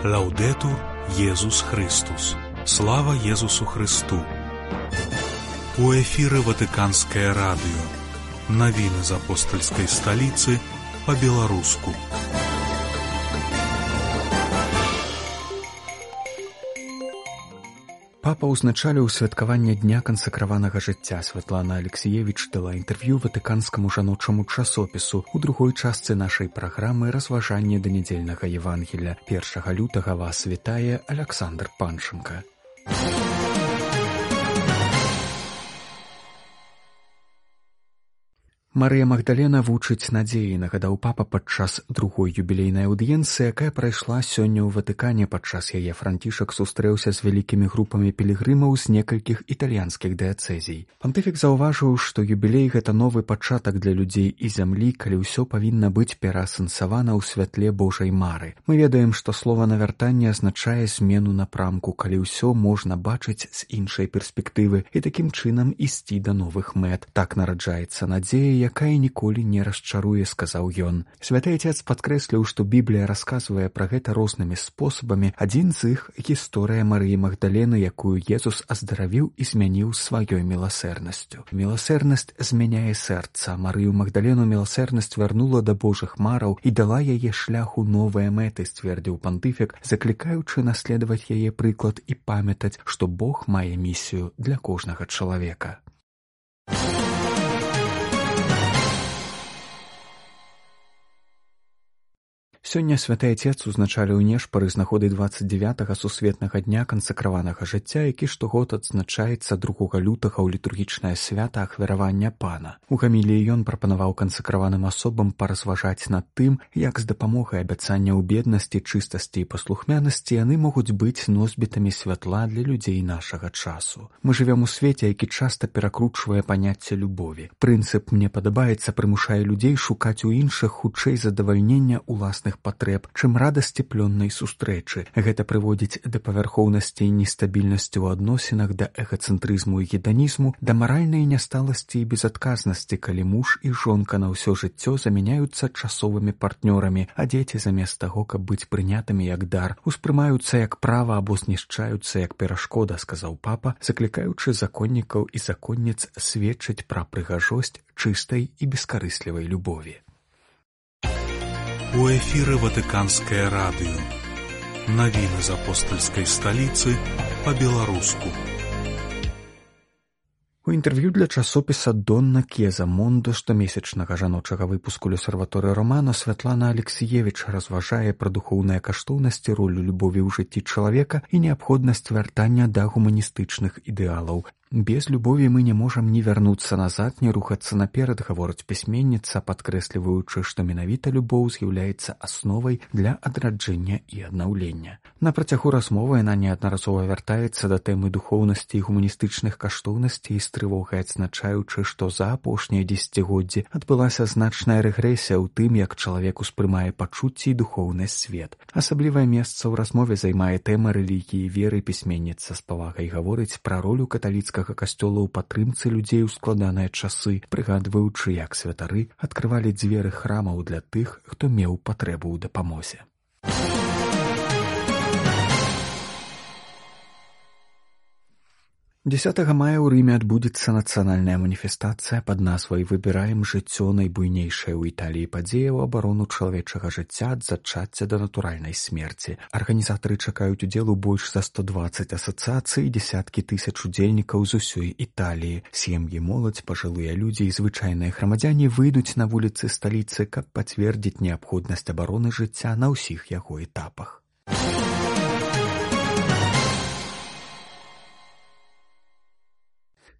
Лаўдэтур Езус Христус. Слава Езусу Христу. У эфіры Ватыканскае радыё. Навіны з апостальскай сталіцы па-беларуску. Папа ўзначаліў святкаванне Дня кансакраванага жыцця. Святлана Алексіевіч дала інтэрв'ю ватыканскаму жаночаму часопісу. У другой частцы нашай праграмы разважанне да нядзельнага Евангелля. 1 лютага вас вітае Александр Панченка. Марыя Магдалена вучыць надзеі, нагадаў папа падчас другой юбілейнай аўдыенцыі, якая прайшла сёння ў Ватыкане. Падчас яе Францішак сустрэўся з вялікімі групамі пілігрымаў з некалькіх італьянскіх дыяцэзій. Пантыфік заўважыў, што юбілей — гэта новы пачатак для людзей і зямлі, калі ўсё павінна быць пераасэнсавана ў святле Божай мары. Мы ведаем, што слова навяртанне азначае змену напрамку, калі ўсё можна бачыць з іншай перспектывы і такім чынам ісці да новых мэт. Так нараджаецца надзея, якая ніколі не расчаруе, сказаў ён. Святы Отец падкрэсліў, што Біблія расказвае пра гэта рознымі спосабамі. Адзін з іх — гісторыя Марыі Магдалены, якую Езус аздаравіў і змяніў сваёй міласэрнасцю. Міласэрнасць змяняе сэрца. Марыю Магдалену міласэрнасць вярнула да Божых мараў і дала яе шляху новыя мэты, сцвердзіў пантыфік, заклікаючы наследаваць яе прыклад і памятаць, што Бог мае місію для кожнага чалавека. Сёння Святы Отец узначаліў нешпары з нагоды 29-га сусветнага дня кансакраванага жыцця, які штогод адзначаецца 2 лютага ў літургічнае свята ахвяравання Пана. У гаміліі ён прапанаваў кансакраваным асобам паразважаць над тым, як з дапамогай абяцання ў беднасці, чыстасці і паслухмянасці яны могуць быць носьбітамі святла для людзей нашага часу. Мы жывём у свеце, які часта перакручвае паняцце любові. Прынцып «мне падабаецца» прымушае людзей шукаць у іншых хутчэй задавальнення ўласных патрэб, чым радасці плённай сустрэчы. Гэта прыводзіць да павярхоўнасці і нестабільнасці ў адносінах, да эгацэнтрызму і геданізму, да маральнай нясталасці і безадказнасці, калі муж і жонка на ўсё жыццё замяняюцца часовымі партнёрамі, а дзеці замест таго, каб быць прынятымі як дар, успрымаюцца як права або знішчаюцца як перашкода, сказаў папа, заклікаючы законнікаў і законніц сведчыць пра прыгажосць чыстай і бескарыслівай любові. У эфіры Ватыканскае радыё. Навіны з апостальскай сталіцы па-беларуску. У інтэрв'ю для часопіса «Донна Кеза Мондо» штомесячнага жаночага выпуску «Лёсерваторы Романо» Святлана Алексіевіч разважае пра духоўныя каштоўнасці, ролю любові ў жыцці чалавека і неабходнасць вяртання да гуманістычных ідэалаў. Без любові мы не можам ні вярнуцца назад, ні рухацца наперад, гаворыць пісьменніца, падкрэсліваючы, што менавіта любоў з'яўляецца асновай для адраджэння і аднаўлення. На працягу размовы яна неаднаразова вяртаецца да тэмы духоўнасці і гуманістычных каштоўнасцей, з трывогай адзначаючы, што за апошнія дзесяцігоддзі адбылася значная рэгрэсія ў тым, як чалавек успрымае пачуцці і духоўны свет. Асаблівае месца ў размове займае тэма рэлігіі і веры. Пісьменніца з павагай гаворыць пра ролю каталіцкага касцёла ў падтрымцы людзей у складаныя часы, прыгадваючы, як святары адкрывалі дзверы храмаў для тых, хто меў патрэбу ў дапамозе. 10 мая ў Рыме адбудзецца нацыянальная маніфестацыя пад назвай «Выбіраем жыццё», найбуйнейшая ў Італіі падзея ў абарону чалавечага жыцця ад зачацця да натуральнай смерці. Арганізатары чакаюць удзелу больш за 120 асацыяцый і дзесяткі тысяч удзельнікаў з усёй Італіі. Сем'і, моладзь, пажылыя людзі і звычайныя грамадзяне выйдуць на вуліцы сталіцы, каб пацвердзіць неабходнасць абароны жыцця на ўсіх яго этапах.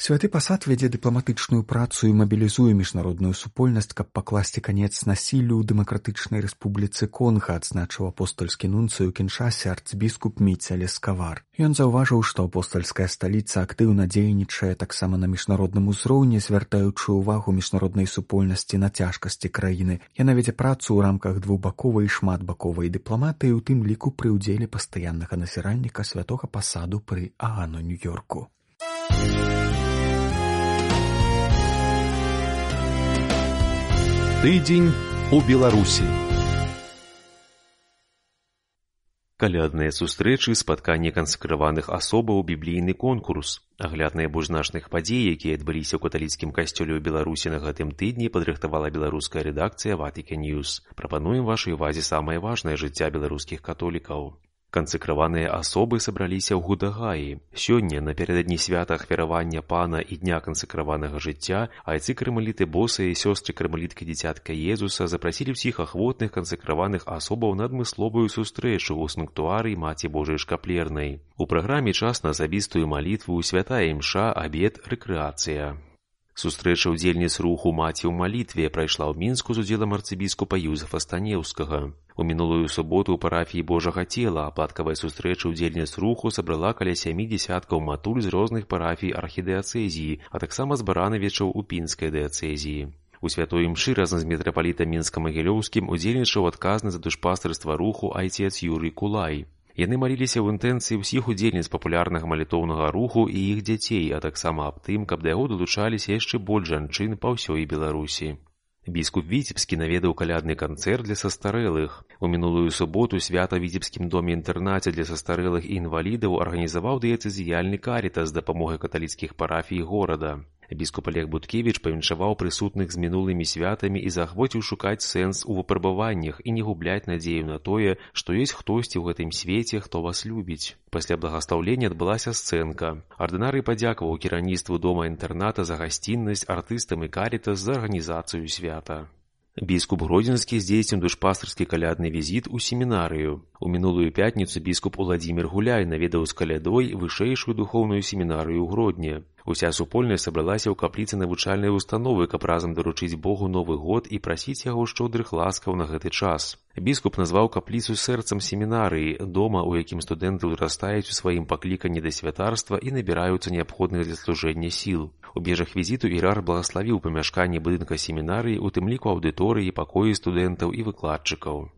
Святы пасад вядзе дыпламатычную працу і мабілізуе міжнародную супольнасць, каб пакласці канец насіллю ў Дэмакратычнай Рэспубліцы Конга, адзначыў апостальскі нунцый у Кіншасе арцбіскуп Міця Лескавар. Ён заўважыў, што апостальская сталіца актыўна дзейнічае таксама на міжнародным узроўні, звяртаючы ўвагу міжнароднай супольнасці на цяжкасці краіны. Яна вядзе працу ў рамках двухбаковай і шматбаковай дыпламатыі, у тым ліку пры ўдзеле пастаяннага назіральніка святога пасаду пры Аану, Нью-Йорку. Тыдзень у Беларусі. Калядныя сустрэчы, спатканне кансакраваных асобаў, біблійны конкурс. Агляд найбольш значных падзей, якія адбыліся ў каталіцкім касцёле ў Беларусі на гэтым тыдні, падрыхтавала беларуская рэдакцыя Vatican News. Прапануем вашай увазе самае важнае жыцця беларускіх католікаў. Кансакраваныя асобы сабраліся ў Гудагаі. Сёння, напярэдадні свята ахвяравання Пана і дня кансакраванага жыцця, айцы-кармеліты Босы і сёстры-кармеліткі дзіцятка Езуса запрасілі ўсіх ахвотных кансакраваных асобаў на адмысловую сустрэчу ў санктуарыі Маці Божай Шкаплернай. У праграме час на асабістую малітву, святая імша, абед, рэкрэацыя. Сустрэча ўдзельніц руху «Маці ў малітве» прайшла ў Мінску з удзелам арцыбіскупа Юзефа Станеўскага. У мінулую суботу ў парафіі Божага Цела аплаткавая сустрэча ўдзельніц руху сабрала каля 7 дзясяткаў матуль з розных парафій архідыяцэзіі, а таксама з баранавічаў у Пінскай дыяцэзіі. У святой імшы разам з мітрапалітам Мінска-Магілёўскім удзельнічаў адказны за душпастырства руху айцец Юрый Кулай. Яны маліліся ў інтэнцыі ўсіх удзельніц папулярнага малітоўнага руху і іх дзяцей, а таксама аб тым, каб да яго далучаліся яшчэ больш жанчын па ўсёй Беларусі. Біскуп Віцебскі наведаў калядны канцэрт для састарэлых. У мінулую суботу свята ў Віцебскім доме-інтэрнаце для састарэлых і інвалідаў арганізаваў дыяцэзіяльны карітас з дапамогай каталіцкіх парафій горада. Біскуп Олег Буткевіч павіншаваў прысутных з мінулымі святамі і заахвоціў шукаць сэнс у выпрабаваннях і не губляць надзею на тое, што ёсць хтосьці ў гэтым свеце, хто вас любіць. Пасля благастаўлення адбылася сцэнка. Ардынарый падзякаваў кіраўніцтву дома-інтэрната за гасціннасць, артыстам і карітас за арганізацыю свята. Біскуп Гродзенскі здзейсніў душпастырскі калядны візіт у семінарыю. У мінулую пятніцу біскуп Уладзімір Гуляй наведаў з калядой вышэйшую духоўную семінарыю ў Гродні. Уся супольнасць сабралася ў капліцы навучальнай установы, каб разам даручыць Богу Новы год і прасіць яго шчодрых ласкаў на гэты час. Біскуп назваў капліцу сэрцам семінарыі, дома, у якім студэнты ўзрастаюць у сваім пакліканні да святарства і набіраюцца неабходных для служэння сіл. У межах візіту іерарх благаславіў памяшканне будынка семінарыі, у тым ліку аўдыторыі, пакоі студэнтаў і выкладчыкаў.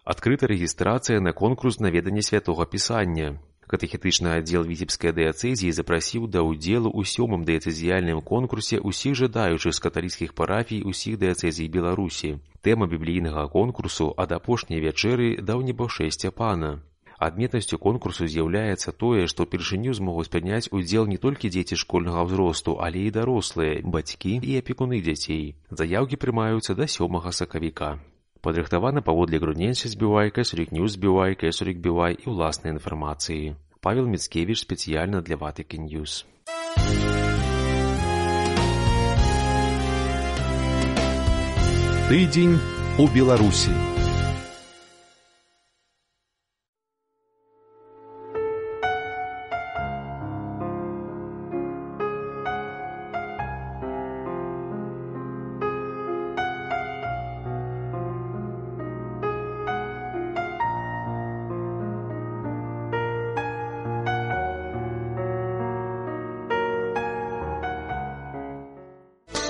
Адкрыта рэгістрацыя на конкурс наведання святога пісання. Катэхетычны аддзел Віцебскай дыяцэзіі запрасіў да ўдзелу ў 7-м дыяцэзіяльным конкурсе ўсіх жадаючых з каталіцкіх парафій усіх дыяцэзій Беларусі. Тэма біблійнага конкурсу «Ад апошняй вячэры да небаўшэсця Пана». Адметнасцю конкурсу з'яўляецца тое, што ўпершыню змогуць прыняць удзел не толькі дзеці школьнага ўзросту, але і дарослыя, бацькі і апекуны дзяцей. Заяўкі прымаюцца да 7 сакавіка. Падрыхтавана паводле грудненься збівай, Кэсурік Ньюс збівай, Кэсурік бівай і ўласнай інфармацыі. Павел Міцкевіч спецыяльна для Vatican News. Тыдзень у Беларусі.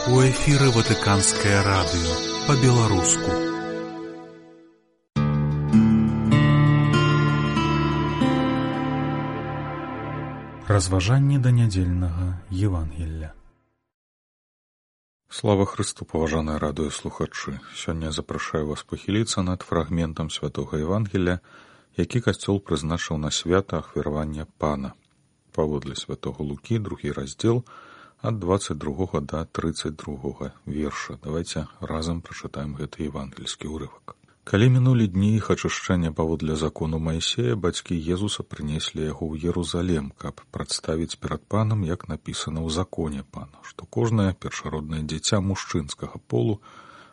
У эфіры Ватыканскае радыё па-беларуску. Разважанне да нядзельнага Евангелля. Слава Христу, паважаныя радыёслухачы! Сёння запрашаю вас пахіліцца над фрагментам святога Евангелля, які касцёл прызначыў на свята ахвяравання Пана. Паводле святога Лукі, 2 раздзел, ад 22 да 32 верша. Давайте разам прачытаем гэты евангельскі ўрывак. Калі мінулі дні іх ачышчэння паводле закону Майсея, бацькі Езуса прынеслі яго ў Єрусалем, каб прадставіць перад Панам, як напісана ў законе Пана, што кожнае першароднае дзіця мужчынскага полу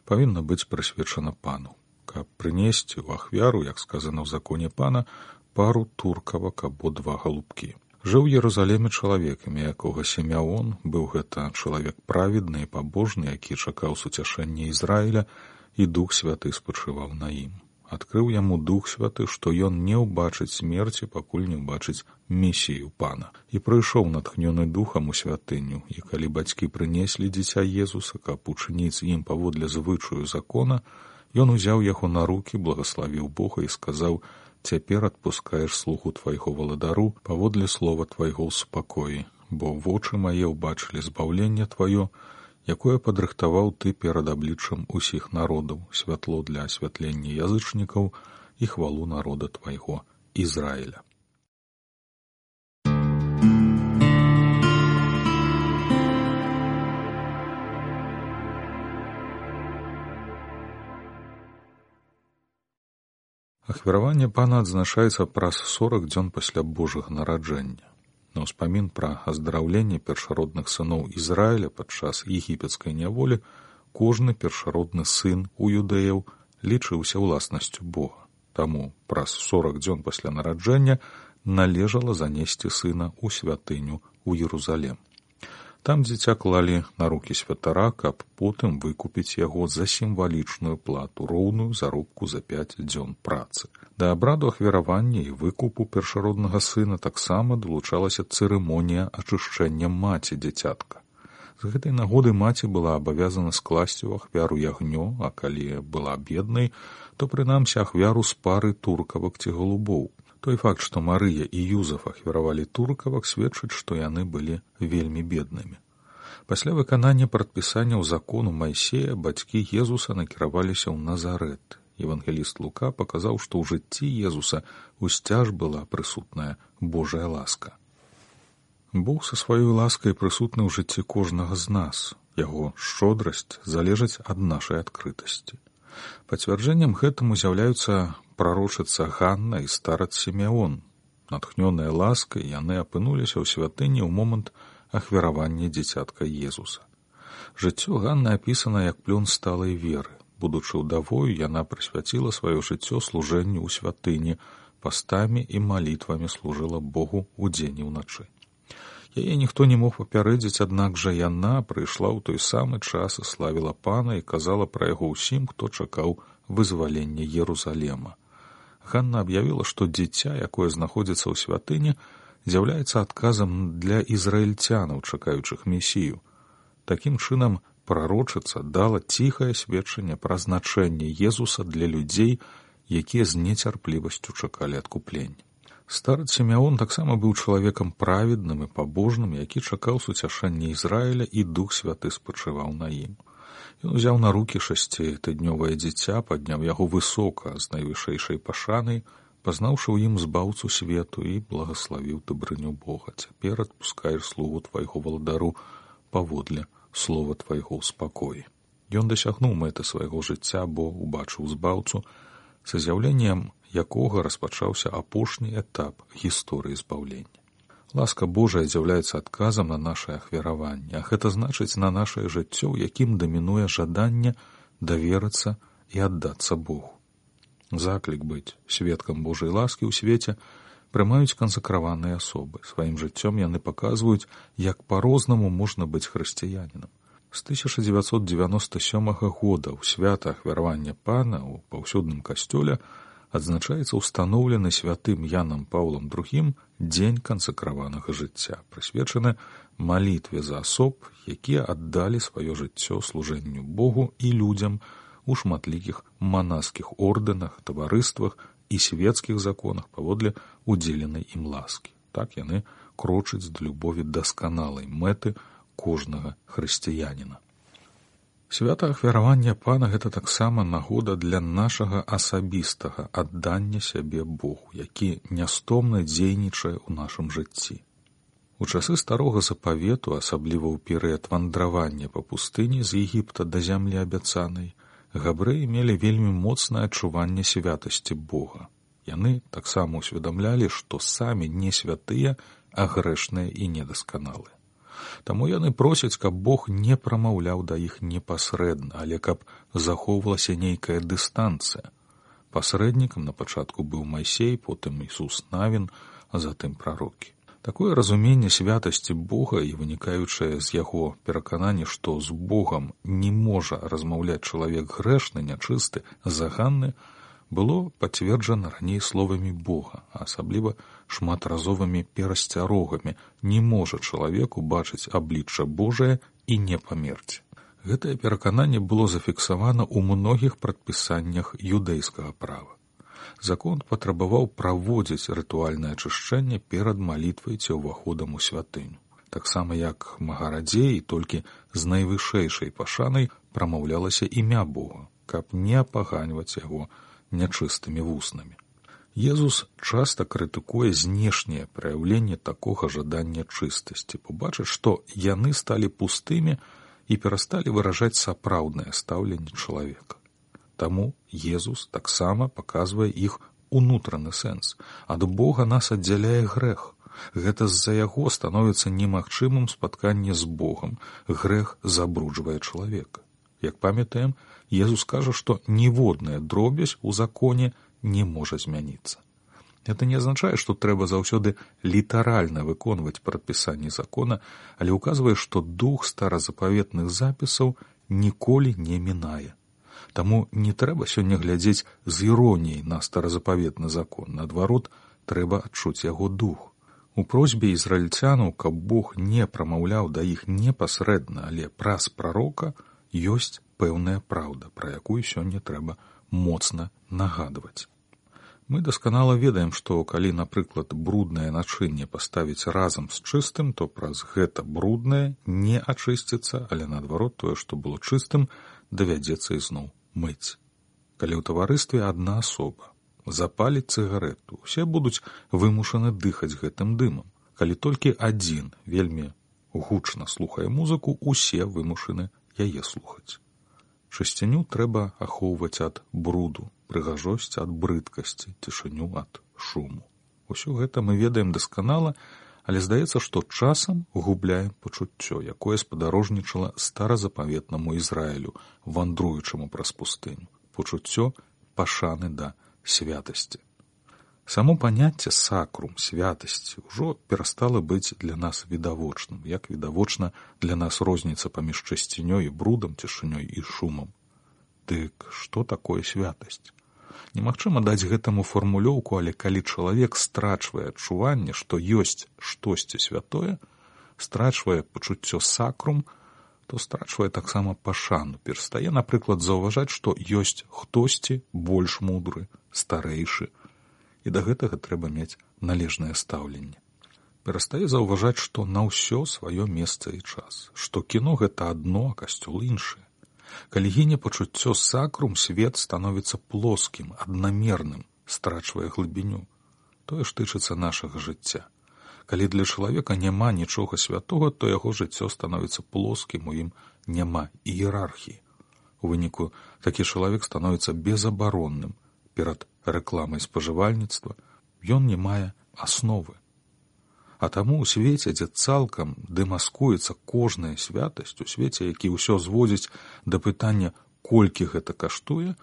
павінна быць прысвечана Пану, каб прынесці ў ахвяру, як сказана ў законе Пана, пару туркавак або 2 галубкі. Жыў у Єрусалеме чалавек, імя якога Сімеон, быў гэта чалавек праведны і пабожны, які чакаў суцяшэння Ізраіля, і Дух Святы спачываў на ім. Адкрыў яму Дух Святы, што ён не ўбачыць смерці, пакуль не ўбачыць Месію Пана. І прыйшоў натхнёны Духам у святыню, і калі бацькі прынеслі дзіця Езуса, каб учыніць з ім паводле звычаю закона, ён узяў яго на рукі, благаславіў Бога і сказаў: «Цяпер адпускаеш слугу твайго валадару паводле слова твайго ў спакоі, бо вочы мае ўбачылі збаўленне тваё, якое падрыхтаваў ты перад абліччам усіх народаў, святло для асвятлення язычнікаў і хвалу народа твайго Ізраіля. Ахвяраванне пана адзначаецца праз 40 дзён пасля Божага нараджэння. На ўспамін пра аздараўленне першародных сыноў Ізраіля падчас егіпецкай няволі кожны першародны сын у юдэяў лічыўся ўласнасцю Бога. Таму праз 40 дзён пасля нараджэння належала занесці сына ў святыню ў Єрусалем. Там дзіця клалі на рукі святара, каб потым выкупіць яго за сімвалічную плату, роўную заробку за 5 дзён працы. Да абраду ахвяравання і выкупу першароднага сына таксама далучалася цырымонія ачышчэння маці дзіцятка. З гэтай нагоды маці была абавязана скласці ў ахвяру ягнё, а калі была беднай, то прынамсі ахвяру з пары туркавак ці голубоў. Той факт, што Марыя і Юзаф ахвяравалі туркавак, сведчыць, што яны былі вельмі беднымі. Пасля выканання прадпісанняў закону Майсея бацькі Езуса накіраваліся ў Назарэт. Евангеліст Лука паказаў, што ў жыцці Езуса усцяж была прысутная Божая ласка. Бог са сваёй ласкай прысутны ў жыцці кожнага з нас. Яго шчодрасць залежыць ад нашай адкрытасці. Пацвярджэннем гэтаму з'яўляюцца прарочыца Ганна і старац Сімеон. Натхнёныя ласкай, яны апынуліся ў святыні ў момант ахвяравання дзіцятка Езуса. Жыццё Ганны апісана як плён сталай веры. Будучы ўдавою, яна прысвяціла сваё жыццё служэнню ў святыні, пастамі і малітвамі служыла Богу ўдзень і ўначы. Яе ніхто не мог папярэдзіць, аднак жа яна прыйшла ў той самы час і славіла пана і казала пра яго ўсім, хто чакаў вызвалення Єрусалема. Ганна аб'явіла, што дзіця, якое знаходзіцца ў святыні, з'яўляецца адказам для ізраільцянаў, чакаючых месію. Такім чынам, прарочыца дала ціхае сведчанне пра значэнне Езуса для людзей, якія з нецярплівасцю чакалі адкуплення. Старац Сімеон таксама быў чалавекам праведным і пабожным, які чакаў суцяшэння Ізраіля, і Дух Святы спачываў на ім. Ён узяў на рукі 6-тыднёвае дзіця, падняў яго высока з найвышэйшай пашанай, пазнаўшы ў ім збаўцу свету, і благаславіў дабрыню Бога. Цяпер адпускаеш слугу твайго валадару паводле слова твайго ў спакоі. Ён дасягнуў мэты свайго жыцця, бо убачыў збаўцу, са з'яўленнем якога распачаўся апошні этап гісторыі збаўлення. Ласка Божая з'яўляецца адказам на нашае ахвяраванне, а гэта значыць на нашае жыццё, у якім дамінуе жаданне даверыцца і аддацца Богу. Заклік быць сведкам Божай ласкі ў свеце прымаюць кансакраваныя асобы. Сваім жыццём яны паказваюць, як па-рознаму можна быць хрысціянінам. З 1997 года ў свята ахвяравання пана ў паўсюдным касцёле адзначаецца ўстаноўлены святым Янам Паўлам II дзень кансакраванага жыцця, прысвечаны малітве за асоб, якія аддалі сваё жыццё служэнню Богу і людзям у шматлікіх манаскіх ордэнах, таварыствах і свецкіх законах паводле удзеленай ім ласкі. Так яны крочаць да любові дасканалай мэты кожнага хрысціяніна. Свята ахвяравання пана – гэта таксама нагода для нашага асабістага аддання сябе Богу, які нястомна дзейнічае ў нашым жыцці. У часы старога запавету, асабліва ў перыяд вандравання па пустыні з Егіпта да зямлі абяцанай, габрэі мелі вельмі моцнае адчуванне святасці Бога. Яны таксама усведамлялі, што самі не святыя, а грэшныя і недасканалыя. Таму яны просяць, каб Бог не прамаўляў да іх непасрэдна, але каб захоўвалася нейкая дыстанцыя. Пасрэднікам на пачатку быў Майсей, потым Ісус Навін, а затым прарокі. Такое разуменне святасці Бога і вынікаючае з яго пераканання, што з Богам не можа размаўляць чалавек грэшны, нячысты, заганны, было пацверджана раней словамі Бога, а асабліва шматразовымі перасцярогамі: не можа чалавек убачыць аблічча Божае і не памерці. Гэтае перакананне было зафіксавана ў многіх прадпісаннях юдэйскага права. Закон патрабаваў праводзіць рытуальнае ачышчэнне перад малітвай ці ўваходам у святыню. Таксама як магарадзей, толькі з найвышэйшай пашанай прамаўлялася імя Бога, каб не апаганьваць яго нячыстымі вуснамі. Езус часта крытыкуе знешняе праяўленне такога жадання чыстасці, побачыць, што яны сталі пустымі і перасталі выражаць сапраўднае стаўленне чалавека. Таму Езус таксама паказвае іх унутраны сэнс. Ад Бога нас аддзяляе грэх. Гэта з-за яго становіцца немагчымым спатканне з Богам. Грэх забруджвае чалавека. Як памятаем, Езус кажа, што ніводная дробязь у законе не можа змяніцца. Гэта не азначае, што трэба заўсёды літаральна выконваць прадпісанні закона, але ўказвае, што дух старазапаветных запісаў ніколі не мінае. Таму не трэба сёння глядзець з іроніяй на старазапаветны закон. Наадварот, трэба адчуць яго дух. У просьбе ізраільцянаў, каб Бог не прамаўляў да іх непасрэдна, але праз прарока, ёсць пэўная праўда, пра якую сёння трэба моцна нагадваць. Мы дасканала ведаем, што калі, напрыклад, бруднае начынне паставіць разам з чыстым, то праз гэта бруднае не ачысціцца, але наадварот тое, што было чыстым, давядзецца ізноў мыць. Калі ў таварыстве адна асоба запаліць цыгарету, усе будуць вымушаны дыхаць гэтым дымам. Калі толькі адзін вельмі гучна слухае музыку, усе вымушаны яе слухаць. Чысціню трэба ахоўваць ад бруду, прыгажосць ад брыдкасці, цішыню ад шуму. Усё гэта мы ведаем дасканала, але здаецца, што часам губляем пачуццё, якое спадарожнічала старазапаветнаму Ізраілю, вандруючаму праз пустыню. Пачуццё пашаны да святасці. Само паняцце сакрум, святасці, ўжо перастала быць для нас відавочным, як відавочна для нас розніца паміж чысцінёй і брудам, цішынёй і шумам. Дык што такое святасць? Немагчыма даць гэтаму фармулёўку, але калі чалавек страчвае адчуванне, што ёсць штосьці святое, страчвае пачуццё сакрум, то страчвае таксама пашану, перастае, напрыклад, заўважаць, што ёсць хтосьці больш мудры, старэйшы, і да гэтага трэба мець належнае стаўленне. Перастае заўважаць, што на ўсё сваё месца і час, што кіно гэта адно, а касцёл іншае. Калі гіне пачуццё сакрум, свет становіцца плоскім, аднамерным, страчвае глыбіню. Тое ж тычыцца нашага жыцця. Калі для чалавека няма нічога святога, то яго жыццё становіцца плоскім, у ім няма іерархіі. У выніку такі чалавек становіцца безабаронным перад рэкламай спажывальніцтва, ён не мае асновы. А таму ў свеце, дзе цалкам дэмаскуецца кожная святасць, у свеце, які ўсё зводзіць да пытання, колькі гэта каштуе,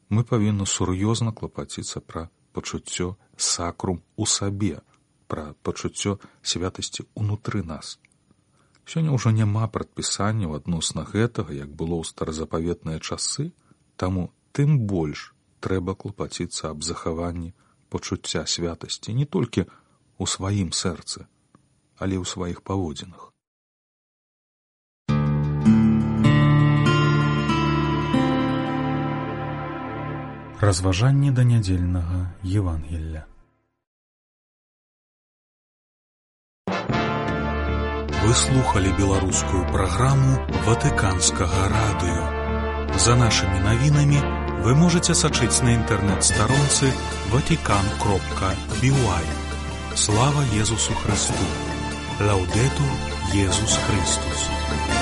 мы павінны сур'ёзна клапаціцца пра пачуццё сакрум у сабе, пра пачуццё святасці ўнутры нас. Сёння ўжо няма прадпісанняў адносна гэтага, як было ў старазапаветныя часы, таму тым больш трэба клапаціцца аб захаванні пачуцця святасці не толькі у сваім сэрцы, але ў сваіх паводзінах. Разважанне да нядзельнага Евангелля. Вы слухали беларускую праграму Ватыканскага радыё. За нашымі навінамі вы можете сачыць на інтэрнэт-старонцы vatican.by. Слава Езусу Христу! Лаудетур Езус Христус!